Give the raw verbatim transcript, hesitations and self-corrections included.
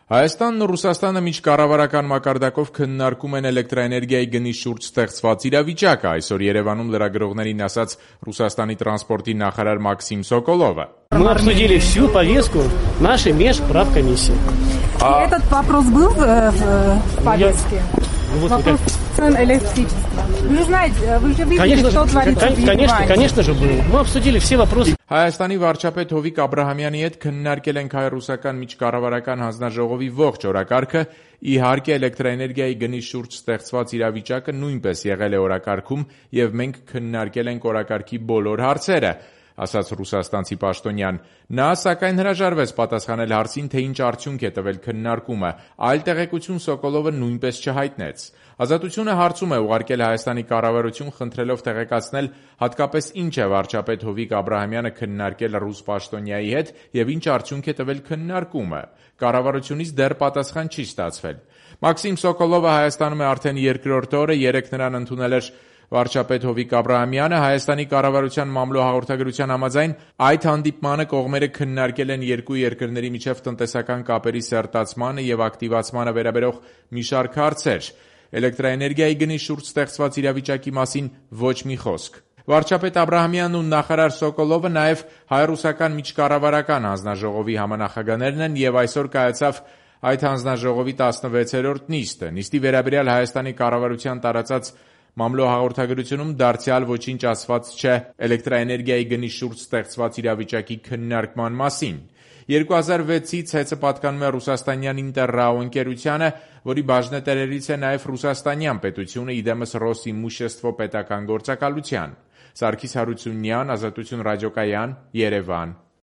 Հայաստանն ու Ռուսաստանը միջկառավարական մակարդակով քննարկում են էլեկտրաէներգիայի գնի շուրջ ստեղծված իրավիճակը, այսօր Երևանում լրագրողներին ասաց Ռուսաստանի տրանսպորտի նախարար Մաքսիմ Սոկոլովը. Мы обсудили всю повестку нашей межправкомиссии. А... Этот вопрос был в, в повестке? Вот, вопрос цен электричества. Вы же знаете, вы же видите, конечно, что творится в Конечно, конечно же был. Мы обсудили все вопросы. Հայաստանի վարչապետ Հովիկ Աբրահամյանի հետ քննարկել ենք հայ-ռուսական միջկառավարական հանձնաժողովի ողջ օրակարգը, իհարկե էլեկտրաէներգիայի գնի շուրջ ստեղծված իրավիճակը նույնպես եղել է օրակարգում եւ մենք քննարկել ենք օրակարգի բոլոր հարցերը, ասաց ռուսաստանցի պաշտոնյան։ Նա սակայն հրաժարվեց պատասխանել հարցին, թե ինչ արդյունք է տվել քննարկումը, այլ տեղեկություն Սոկոլովը նույնպես չհայտնեց։ Ազատությունը հարցում է ուղարկել Հայաստանի կառավարություն, խնդրելով տեղեկացնել հատկապես ինչ է վարչապետ Հովիկ Աբրահամյանը քննարկել ռուս պաշտոնյայի հետ եւ ինչ արդյունք է տվել քննարկումը։ Կառավարությունից դեռ պատասխան չի ստացվել։ Մաքսիմ Սոկոլովը Հայաստանում է արդեն երկրորդ օրը, երեկ նրան ընդունել էր վարչապետ Հովիկ Աբրահամյանը։ Հայաստանի կառավարության մամլո հաղորդագրության համաձայն այդ հանդիպմանը կողմերը քննարկել են երկու երկրների միջև տնտեսական կապերի սերտացմանը եւ ակտիվացմանը վերաբերող մի շարք հարցեր։ Էլեկտրաէներգիայի գնի շուրջ ստեղծված իրավիճակի մասին ոչ մի խոսք։ Վարչապետ Աբրահամյանն ու նախարար Սոկոլովը նաև հայ-ռուսական միջկառավարական հանձնաժողովի համանախագահներն են եւ այսօր կայացավ այդ հանձնաժողովի տասնվեցերորդ նիստը։ Նիստի վերաբերյալ Հայաստանի կառավարության տարածած մամլո հաղորդագրությունում դարձյալ ոչինչ ասված չէ էլեկտրաէներգիայի գնի շուրջ ստեղծված իրավիճակի քննարկման մասին։ երկու հազար վեցից հեծը պատկանում է ռուսաստանյան Ինտերրաո ընկերությանը, որի բաժնետերերից է նաև ռուսաստանյան պետությունը, իդեմս Ռոսիմուշեստվո պետական գործակալության։ Սարգիս Հարությունյան, Ազատություն ռադիոկայան, Երևան։